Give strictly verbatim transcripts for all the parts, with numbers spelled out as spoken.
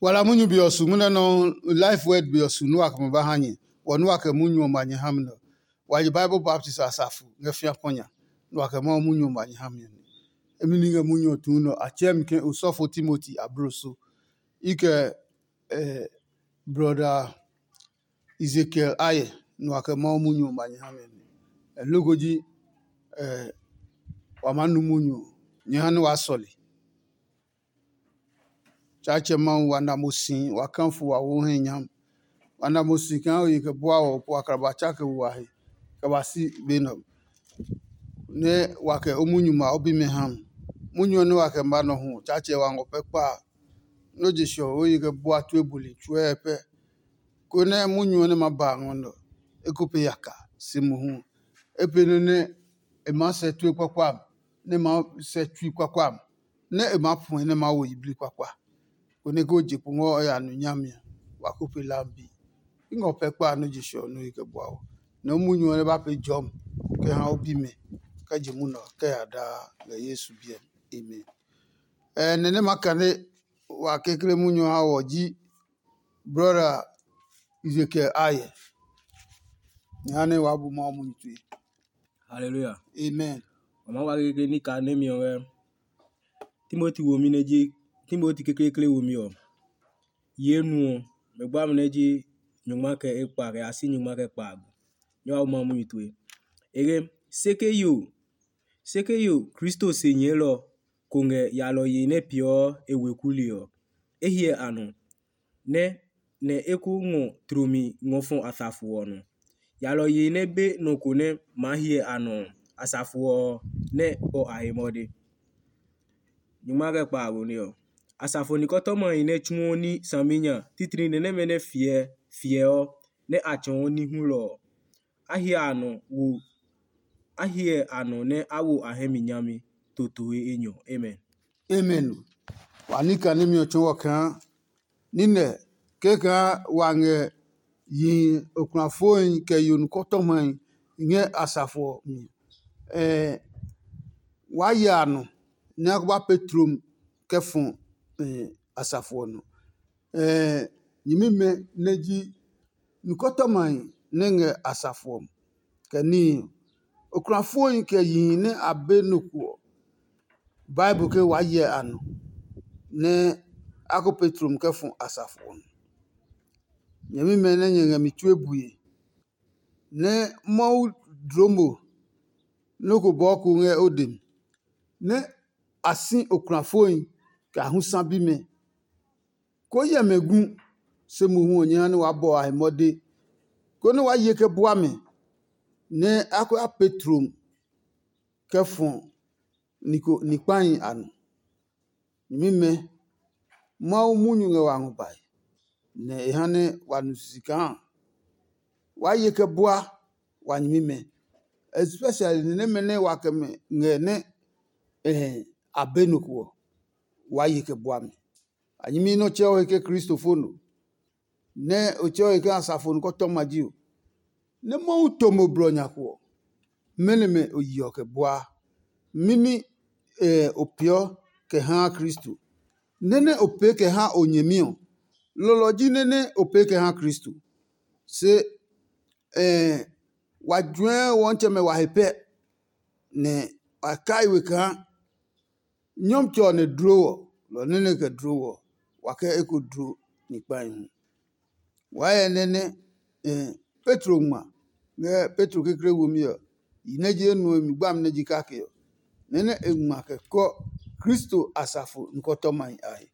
Wala munyu be ɔ su munɛ nɔuu, life word be ɔ su nɛ wa kɛ ma ba ha nyɛ. Wɔ nɛ wa kɛ munyu ɔ ma nyɛ ha mi nɛ ɔ, wa je Bible baptist a safu ngɛ fĩa kpɔ nya, nɛ wa kɛ Mawu munyu ɔ ma nyɛ ha mi ɔ nɛ. Emi ni ngɛ munyu ɔ tuu nɛ ɔ, a tsɛɛ mi ke osɔfo Timoti abloso. I kɛ eh, brɔda Ezekiel Aye, nɛ wa kɛ Mawu munyu ɔ ma nyɛ ha mi ɔ nɛ. Loko ji eh, wa maa nu munyu ɔ, nyɛ ha nɛ waa sɔle. Tsaatsɛ Mawu, wa na mo si, wa kafo, wa wo hɛ nyam. Wa na mo si kaa o yi kɛ bua wɔ po akraba tsa kɛ wo wa he kɛ ba si be nɛ ɔ, nɛ wa kɛ o munyu ma o bimɛ ha mi. Munyu ɔ nɛ wa kɛ ma nɔ hu, Tsaatsɛ wa ngɔ pɛ kpa a, nɔ́ je sɔ o yi kɛ bua tue buli tsuɛ pɛ, konɛ munyu ɔ nɛ ma ba a ngɔ nɛ ɔ, e ko pe yaka si mohu. E pe nɔ nɛ e maa sɛ tue kpakpa a, nɛ e maa sɛ tsui kpakpa a, nɛ e maa puɛ nɛ e maa wo yiblii kpakpa, konɛ ke o je kpo ngɔ o ya nu nyami ɔ, wa ko pe lambi. I ngɔ pɛ kpa nɔ́ je sɔ nɔ́ yi kɛ bua o. Nɛ o munyu ɔ nɛ ba pee jɔmi kɛ ha o bimɛ kɛ je munɔ ɔ kɛ ya daa ngɛ Yesu biɛ mi. Amen. Ɛɛ nɛ nɛ ma kane wa kekle munyu ɔ ha wɔ ji brɔda Ezekiel Aye. Nyɛ ha nɛ waa bu Mawu munyu tue. Hallelujah. Amen. Wa maa wa kekle ní kaa nɛmi ɔ ngɛ Timoti womi nɛ ji Timoti kekleekle womi ɔ. Ye nu ɔ, mɛ gba mi nɛ ji nyɔngma kɛ ekpa kɛ ya si nyɔngma kɛ kpaago. Nyɛ wa bu Mawu munyu tue. E ke, se ke yo, se ke yo Kristo se nyɛɛlɔ ko ngɛ yalɔye nɛ peeɔ e weku li ɔ, e hyɛ a nɔ, nɛ nɛ e ko ngɔ tlomi ngɔ fɔ asafo ɔ nɔ. Yalɔye nɛ be nɔ ko nɛ maa hyɛ a nɔ ɔ, asafo ɔ nɛ ɔ a he mɔde. Nyuma kɛ kpa a gone ɔ, asafo nikɔtɔmahi nɛ tsuɔ ní saminya titri nɛ nɛmɛ nɛ fiɛ fiɛ ɔ, nɛ a tsɔɔ ní hulɔ ɔ, a hyɛ a nɔ wo a hyɛ a nɔ nɛ a wo a hɛ mi nyami totoe enyɔ. Amen. Amen. Wa ní kaa nɛmɛ ɔ tsɔɔ wɔ kaa nínɛ kɛkaa wa ngɛ yihi okulafoi kɛ yo nukɔtɔmahi ngɛ asafo ɔ mi. Ɛɛ, waa ya a nɔ nɛ a ko ba pee tlom kɛ fɔ asafo ɔ nɔ. Ɛɛ, nyɛmimɛ nɛ ji nukɔtɔmahi nɛ ngɛ asafo ɔ mi, kɛ níhi ɔ. Okulafoi kɛ yihi nɛ a be nɔ ko ɔ, Bible ke waa hyɛ a nɔ nɛ a ko pee tlom kɛ fɔ asafo ɔ nɔ. Nyɛmimɛ nɛ nyɛ ngɛ mi tue bue, nɛ Mawu dloo mo nɔ́ ko bɔɔ ko ngɛ o dɛ mi, nɛ a si okulafoi kɛ a hu sa bimɛ. Ko hyɛ mɛ gu, se mohu ɔ nyɛ ha nɛ waa bɔ a he mɔde, konɛ waa ye kɛ bua mɛ, nɛ a ko ya pee tlom kɛ fɔ ni ko ni kpahi a nɔ. Nyɛmimɛ, Mawu munyu ngɛ wa ngɔ bae, nɛ e ha nɛ wa nu sisi kaa waa ye kɛ bua wa nyɛmimɛ, especially ni nɛmɛ nɛ wa kɛ mɛ ngɛ nɛ a be nɔ ko ɔ, waa ye kɛ bua mi. A nyɛmi nɛ o tsɛ o he ke kristofo no, nɛ o tsɛ o he ke asafo nukɔtɔma ji o, nɛ Mawu to mo blɔ nya ko ɔ, mɛnɔ mɛ o yeɔ kɛ buaa? Mɛni o peeɔ kɛ haa Kristo? Nɛ́ nɛ o pee kɛ ha o nyɛmi ɔ, lɔlɔ ji nɛ́ nɛ o pee kɛ ha Kristo. Se wa juɛ wɔntsɛmɛ wa he pɛ, nɛ a kai we kaa Nyɔmtsɛ ɔ nɛ dlo wɔ, lɔ nɛ nɛ kɛ dlo wɔ, wa kɛ eko dlo ni kpahi hu. Waa hyɛ nɛ nɛ Petro ngma ngɛ Petro kekle womi ɔ, yi nɛ ji enuɔ mi gbami nɛ ji kake ɔ, nɛ nɛ e ngma kɛ kɔ Kristo asafo nukɔtɔmahi a he.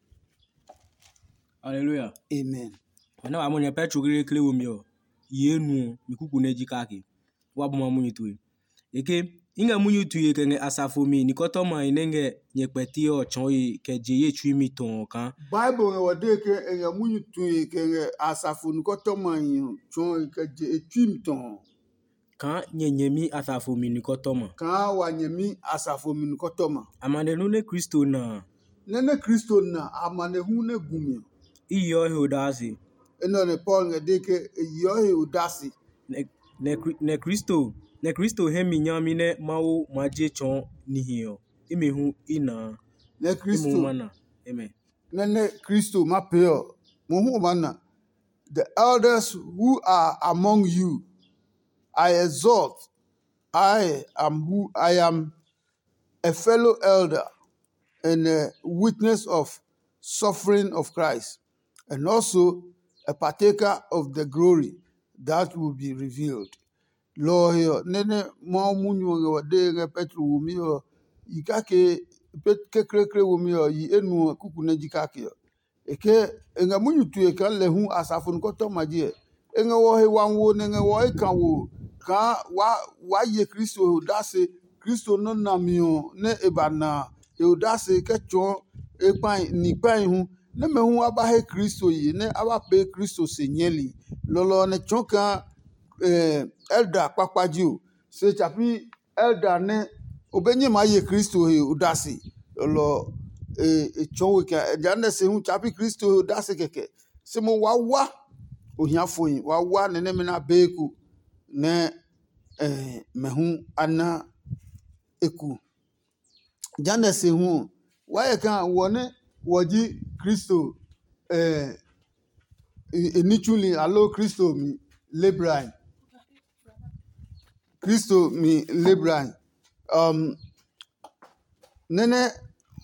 Haleluya. Amen. Nɛ wa mɔ nyɛ Petro kekle womi ɔ, yi enuɔ mi kuku nɛ ji kake. Wa bu ma munyu tue. E ke, i ngɛ munyu tue kɛ ngɛ asafo mi nikɔtɔmahi nɛ ngɛ nyɛ kpɛti ɔ tsɔɔe kɛ je ye tsui mi tɔ ɔ kaa. Bible ngɛ wɔ dee ke e ngɛ munyu tue kɛ ngɛ asafo nikɔtɔmahi ɔ tsɔɔe kɛ je e tsui mi tɔ ɔ. Kaa nyɛ nyɛmi asafo mi nikɔtɔma. Kaa wa nyɛmi asafo mi nikɔtɔma. Amanehlu nɛ Kristo na a. Nɛ nɛ Kristo na amanehlu nɛ gu mi ɔ. I yeɔ he odase. Enɛ ɔ nɛ Paul ngɛ dee ke e yeɔ he odase. Nɛ, nɛ, Kri- nɛ Kristo, nɛ Kristo hɛ mi nyami nɛ Mawu ma je tsɔɔ nihi ɔ, imi hu i na a. Nɛ Kristo, ma na. Amen. Nɛ nɛ Kristo ma pee ɔ, Mohu o maa na. The elders who are among you, I exhort, I am who I am a fellow elder and a witness of suffering of Christ, and also a partaker of the glory that will be revealed. Lɔ ɔ he ɔ, nɛ nɛ Mawu munyu ɔ ngɛ wa dee ngɛ Petro womi ɔ, yi kake kekleekle womi ɔ, yi enuɔ kuku nɛ ji kake ɔ. E ke e ngɛ munyu tue kaa lɛ hu asafo nukɔtɔma ji ɛ. E ngɛ wɔ he wami wo nɛ ngɛ wɔ eka wo kaa waa ye Kristo he odase. Kristo nɔ́ nami ɔ nɛ e ba na a, he odase kɛ tsɔɔ e kpahi ni kpahi hu, nɛmɛ hu a ba he Kristo ye nɛ a ba pee Kristo se nyɛli. Lɔlɔ ɔ nɛ tsɔɔ kaa ɛlda kpakpa ji o, se tsapi ɛlda nɛ o be nyɛ maa ye Kristo he odase. Lɔlɔ ɔ e tsɔɔ we kaa jehanɛ se hu tsapi Kristo he odase kɛkɛ. Se mo wa wa ohiafohi wa wa nɛ nɛmɛ nɛ a bee eko nɛ mɛ hu a na eku. Jehanɛ se hu ɔ, wa hyɛ kaa wɔ nɛ wɔ ji Kristo e ní tsuli aloo Kristo mi lebrahi. Kristo mi lebrahi. Um, nɛ́ nɛ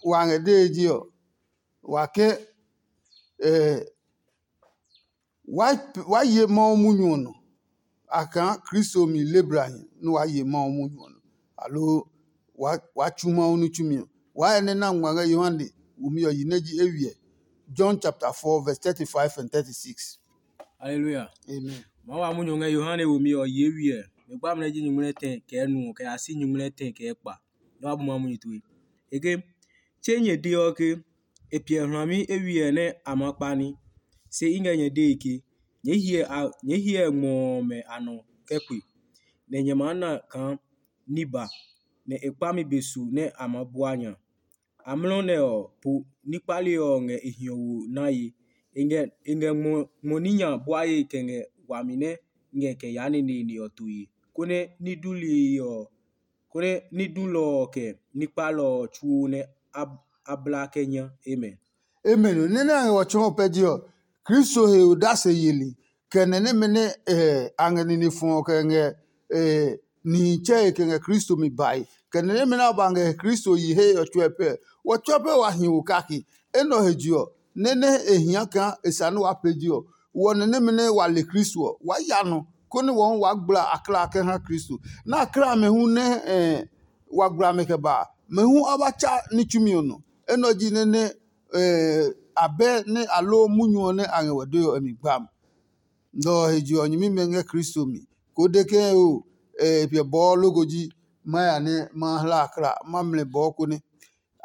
wa ngɛ dee ji ɔ, wa ke eh, wa, wa ye Mawu munyu ɔ nɔ. A kaa Kristo mi lebrahi nɛ wa ye Mawu munyu ɔ nɔ, aloo wa, wa tsu Mawu ní tsumi ɔ. Wa hyɛ nɛ na ngma ngɛ Yohane wumi ɔ yi nɛ ji eywiɛ. John chapter four verse thirty-five and thirty-six. Hallelujah. Amen. Mawu a munyu ngɛ Yohane wumi ɔ yi eywiɛ. Mɛ gba amlɛ ji nyuŋmlɛ tɛ kɛ nu kɛ ya si nyuŋmlɛ tɛ kɛ kpa. Nɛ wa bu Mawu munyu tue. E ke, tse nyɛ deɔ ke e piɛ hlami eywiɛ nɛ a ma kpa ní, se i ngɛ nyɛ dee ke nyɛɛ hyɛ ngmɔ ɔmɛ a nɔ kɛ kpe, nɛ nyɛ maa na kaa ní ba, nɛ e kpami be su nɛ a maa bua nya. Amlɔ nɛ ɔ po ní kpali ɔ ngɛ e hiɔwo naye. E ngɛ ngmɔ ní nya buaye kɛ ngɛ wami nɛ ngɛ kɛ yaa neneene ɔ toye, konɛ ní duli ɔ konɛ ní dulɔ ɔ kɛ ní kpalɔ ɔ tsuo nɛ a bla kɛ nya. Amen. Amen. Nɛ nɛ a ngɛ wɔ tsɔɔ pɛ je ɔ, Kristo he odase yeli, kɛ nɛ nɛmɛ nɛ a ngɛ nine fɔ ɔ kɛ ngɛ nihi tsɛe kɛ ngɛ Kristo mi bae, kɛ nɛ nɛmɛ nɛ a ba ngɛ Kristo yi he ɔ tsuɛ pɛ. Wɔ tsuɛ pɛ wa hi wo kake. Enɛ ɔ he je ɔ, nɛ nɛ e hia kaa e sa nɛ waa pee je ɔ, wɔ nɛ nɛmɛ nɛ wa le Kristo ɔ, waa ya nɔ, konɛ wɔ hu waa gbla akla kɛ ha Kristo. Nɛ akla amɛ hu nɛ wa gbla mɛ kɛ ba a, mɛ hu a ba tsa ní tsumi ɔ nɔ. Enɛ ɔ ji nɛ nɛ abɛ nɛ aloo munyu ɔ nɛ a ngɛ wɔ dee ɔ mi gbam. Lɔ ɔ he je ɔ, nyɛmimɛ ngɛ Kristo mi, koo de ke o e piɛ bɔɔ logo ji ma ya nɛ ma hla akla ma mlɛ bɔɔ konɛ.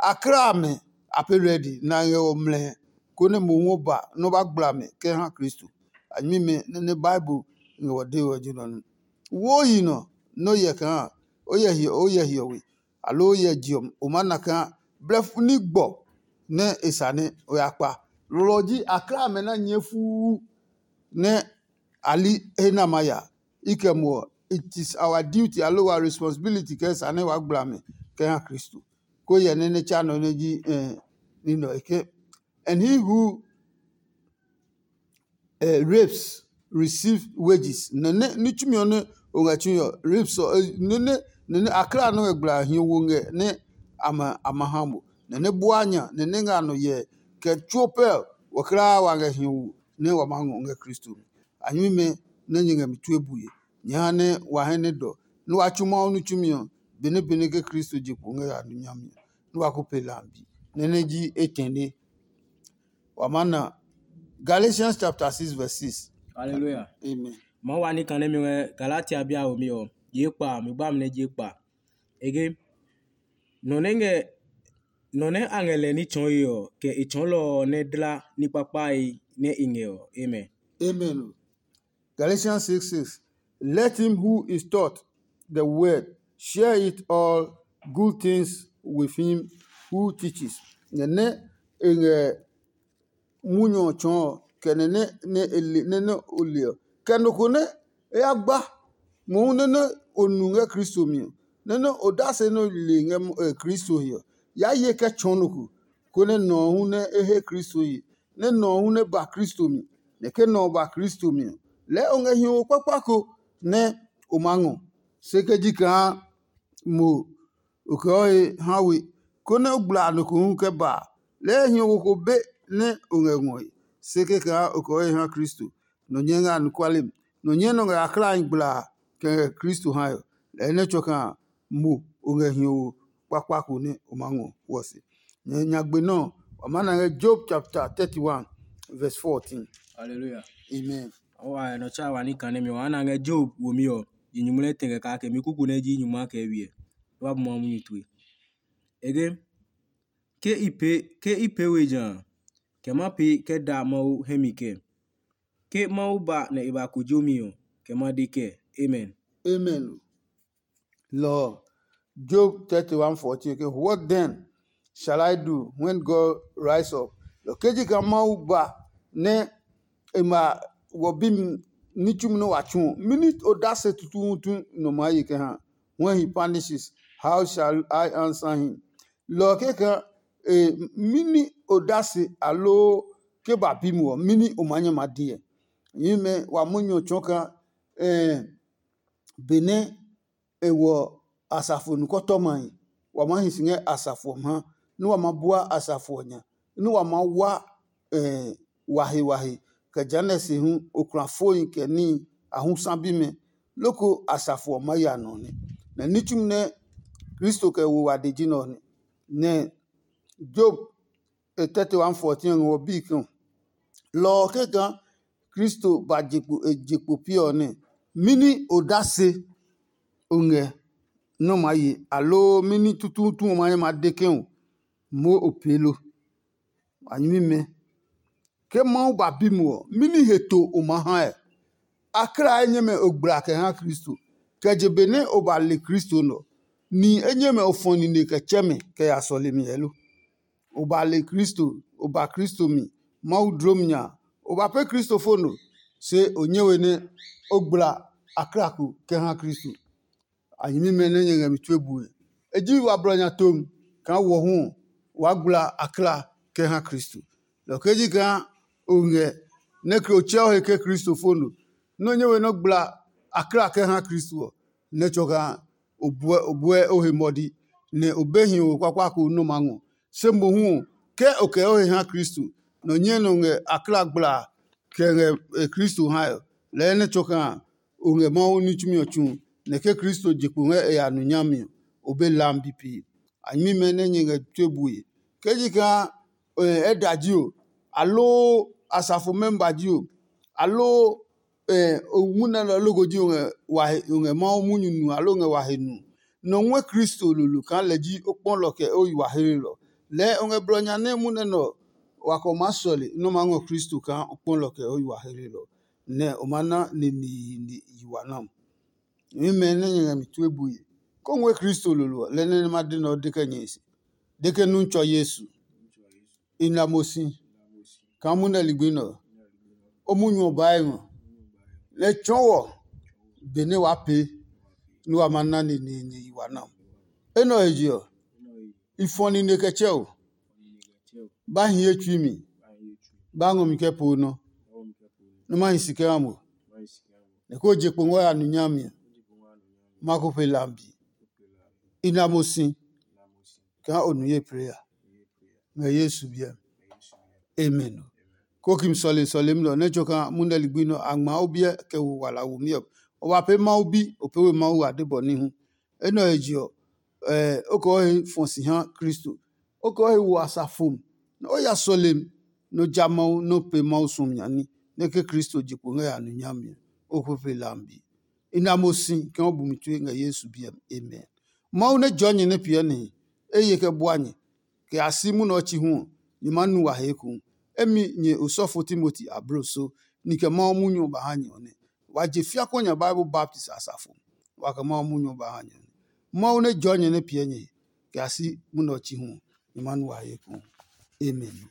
Akla amɛ a pee ready nɛ a ngɛ ɔ mlɛ, konɛ mohu ɔ ba nɛ ɔ ba gbla mɛ kɛ ha Kristo. A nyɛmimɛ nɛ nɛ Bible ngɛ wɔ dee ɔ ji nɔ nɛ. Wo yi nɔ nɛ o hyɛ kaa o hyɛ hiɔwe, aloo o hyɛ je ɔ, o maa na kaa blɛfu ní gbɔ nɛ e sa nɛ o ya kpa. Lɔ ɔ ji akla amɛ na nyɛɛ fuu nɛ a li he nɛ a ma ya. I kɛ muɔ, it is our duty aloo our responsibility kɛ sa nɛ waa gbla mɛ kɛ ha Kristo. Ko hyɛ nɛ nɛ tsa nɔ nɛ ji ní nɔ e ke. And he who uh, rapes receive wages. Nɛ nɛ ní tsumi ɔ nɛ o ngɛ tsui ɔ, rapes ɔ nɛ nɛ nɛ nɛ akla nɛ ngɛ gbla hiɔ wo ngɛ nɛ a ma a ma ha mo. Nɛ nɛ bua nya nɛ nɛ ngɛ a nɔ yɛ kɛ tsuo pɛ ɔ, wɔ kla wa ngɛ hiɔ wo nɛ wa ma ngɔ ngɛ Kristo mi. A nyɛmimɛ nɛ nyɛ ngɛ mi tue bue, nyɛ ha nɛ wa hɛ nɛ dɔ nɛ wa tsu Mawu ní tsumi ɔ benɛ benɛ ke Kristo je kpo ngɛ ya nu nyami ɔ, nɛ wa ko pe lambi. Nɛ nɛ ji etɛne. Wa maa na Galatians chapter six verse six. Hallelujah. Amen. Ma wa ní kan nɛmɛ ngɛ Galatia bi a womi ɔ, ye kpa mi gba mi nɛ je kpa. Ege nɔ nɛ ngɛ nɔ nɛ a ngɛ lɛ ní tsɔɔe ɔ, kɛ e tsɔɔlɔ ɔ nɛ dla ní kpakpae nɛ e ngɛ ɔ. Amen. Amen. Galatians six six. Let him who is taught the word share it all good things with him who teaches. Nɛ nɛ e ngɛ munyu ɔ tsɔɔ ɔ, kɛ nɛ nɛ nɛ e le nɛ nɛ o le ɔ, kɛ nɔ ko nɛ e ya gba mohu nɛ nɛ o nu ngɛ Kristo mi ɔ, nɛ nɛ odase nɛ o le ngɛ Kristo he ɔ, ya ye kɛ tsɔɔ nɔ ko, konɛ nɔ ɔ hu nɛ e he Kristo ye. nɛ nɔ ɔ hu nɛ ba Kristo mi, nɛ ke nɔ ɔ ba Kristo mi ɔ, lɛɛ o ngɛ hiɔwo kpakpa ko nɛ o maa ngɔ. Se ke ji kaa mo o kɛ o he ha we, konɛ o gbla nɔ ko hu kɛ ba a, lɛɛ hiɔwo ko be nɛ o ngɛ ngɔe. Se kɛkaa o kɛ o he ha Kristo, nɔ nyɛ ngɛ anɔkuale mi, nɔ nyɛ nɔ ngɛ aklaahi gbla a kɛ ngɛ Kristo hae ɔ, lɛɛ nɛ tsɔ kaa mo o ngɛ hiɔwo kpakpa ko nɛ o maa ngɔ hwɔ se. Nyɛ nyagbe nɔ́ ɔ, wa maa na ngɛ Job chapter thirty-one verse fourteen. Hallelujah. Amen. Wa nɔ tsa wa ni kan nɛ mi wa na ngɛ Job wo mi ɔ, yi nyumu lɛ tɛ kɛ kake mi kuku nɛ ji nyumu a kɛ wiɛ. Wa bu ma munyu tue. Ege ke i pe ke i pe we ja, kɛ ma pe kɛ da Mawu hɛ mi kɛ. Ke Mawu ba nɛ e ba kojo mi ɔ, kɛ ma de kɛ. Amen. Amen. Lɔ Job thirty-one fourteen ke, "What then shall I do when God rise up?" Lɔ ke ji kaa Mawu ba nɛ e ma wɔ bi mi ní tsumi nɛ wa tsu ɔ, mɛni odase tutuutu nɔ maa ye kɛ ha? When he punishes, how shall I answer him? Lɔ kɛkaa e mɛni odase aloo ke ba bi mo ɔ, mɛni o maa nyɛ ma deɛ? Nyɛmɛ wa munyu ɔ tsɔɔ kaa benɛ e wɔ asafo nukɔtɔmahi, wa maa hi si ngɛ asafo ɔ ha, nɛ wa ma bua asafo ɔ nya, nɛ wa maa wa wahe wahe, kɛ jehanɛ se hu okrafohi kɛ níhi a hu sa bimɛ, loko asafo ɔ maa ya nɔ nɛ. Nɛ ní tsumi nɛ Kristo kɛ wo wade ji nɛ ɔ nɛ. Nɛ Job e thirty-one fourteen ɔ ngɛ wɔ bii ke, lɔ ɔ kɛkaa Kristo ba je kpo e je kpo piɛ ɔ nɛ, mɛni odase o ngɛ nɔ́ maa ye, aloo mɛni tutuutu o maa nyɛ ma de ke o moo o pee lo? A nyɛmimɛ, ke Mawu ba bi mo ɔ, mɛni he to o maa hae? A kla enyɛmɛ o gbla kɛ ha Kristo, kɛ je benɛ o ba le Kristo nɔ. Ni enyɛmɛ o fɔ nine kɛ tsɛ mɛ kɛ ya sɔlemi ɛ lo? O ba le Kristo, o ba Kristo mi, Mawu dlom nya, o ba pɛ Kristo fo no, se o nyɛ we nɛ o gbla a kla ko kɛ ha Kristo. A nyɛmimɛ nɛ nyɛ ngɛ mi tue bue. E ji wa blɔ nya tom kaa wɔ hu ɔ, waa gbla a kla kɛ ha Kristo. Lɔ ke ji kaa o ngɛ nɛ ke o tsɛ o he ke Kristo fo no, nɛ o nyɛ we nɛ o gbla a kla kɛ ha Kristo ɔ, nɛ tsɔ kaa o buɛ o buɛ o he mɔdi, nɛ o be hiɔwe kpakpa ko nɛ o maa ngɔ. Se mohu ɔ, ke o kɛ o he ha Kristo, nɛ o nyɛ nɛ o ngɛ a kla gbla kɛ ngɛ e Kristo hae ɔ, lɛɛ nɛ tsɔ kaa o ngɛ Mawu ní tsumi ɔ tsu, nɛ ke Kristo je kpo ngɛ e ya nu nyami ɔ, o be lam bipi. A nyɛmimɛ nɛ nyɛ ngɛ tue bue. Ke ji kaa ɛ da ji o, aloo asafo mɛmba ji o, aloo o munɛ nɛ loko ji o ngɛ wa he o ngɛ Mawu munyu nu aloo o ngɛ wa he nu, nɔ ngɔɛ Kristo lolo kaa lɛ ji o kpɔlɔ kɛ o yi wa hlelɔ. Lɛɛ o ngɛ blɔ nya nɛ munɛ nɛ ɔ wa kɛ o maa sɔle nɛ o maa ngɔ Kristo kaa o kpɔlɔ kɛ o yi wa hlelɔ, nɛ o ma na neneene yi wa nam. Nyɛmimɛ nɛ nyɛ ngɛ mi tue bue, ko ngɔɛ Kristo lolo ɔ, lɛ nɛ ma de nɛ o de kɛ nyɛ se. De ke nu tsɔ Yesu. I na mo si kaa munɛ ligbi nɛ ɔ, o munyu ɔ baa e ngɔ, nɛ tsɔɔ wɔ benɛ waa pee nɛ wa ma na neneene yi wa nam. Enɛ ɔ he je ɔ, i fɔ nine kɛ tsɛ o, ba hi ye tsui mi, ba ngɔ mi kɛ po nɔ, nɛ ma hi si kɛ ha mo, nɛ ko je kpo ngɔ ya nu nyami ɔ, ma ko pe lambi. I na mo si kaa o nu ye plee a. Ngɛ Yesu biɛ mi. Amen. Ko kim sɔle sɔlemi nɛ ɔ nɛ tso kaa munɛ ligbi nɛ a ngma o biɛ kɛ wo wala womi ɔ, o wa pee Mawu bi, o pee we Mawu ade bɔ ní hu. Enɛ ɔ he je ɔ, o kɛ o he fɔ si ha Kristo. O kɛ o he wo asafo mi, nɛ o ya sɔlemi, nɛ o ja Mawu, nɛ o pee Mawu suɔmi nya ní, nɛ ke Kristo je kpo ngɛ ya nu nyami ɔ, o ko pe lambi. I na mo si kaa o bu mi tue ngɛ Yesu biɛ mi. Amen. Mawu nɛ jɔɔ nyɛ nɛ piɛ nihi, e ye kɛ bua nyɛ, kɛ ya si munɛ ɔ chi hu ɔ, nyɛ maa nu wa he ekohu. Emi nyɛ osɔfo Timoti ablo so, ni kɛ Mawu munyu ɔ ba ha nyɛ ɔ nɛ. Wa je fiakuɔ nya Bible baptist asafo, wa kɛ Mawu munyu ɔ ba ha nyɛ ɔ nɛ. Mawu nɛ jɔɔ nyɛ nɛ piɛ nyɛ he, kɛ ya si munɛ ɔ chi hu ɔ, nyɛ maa nu wa he ekohu. Amen.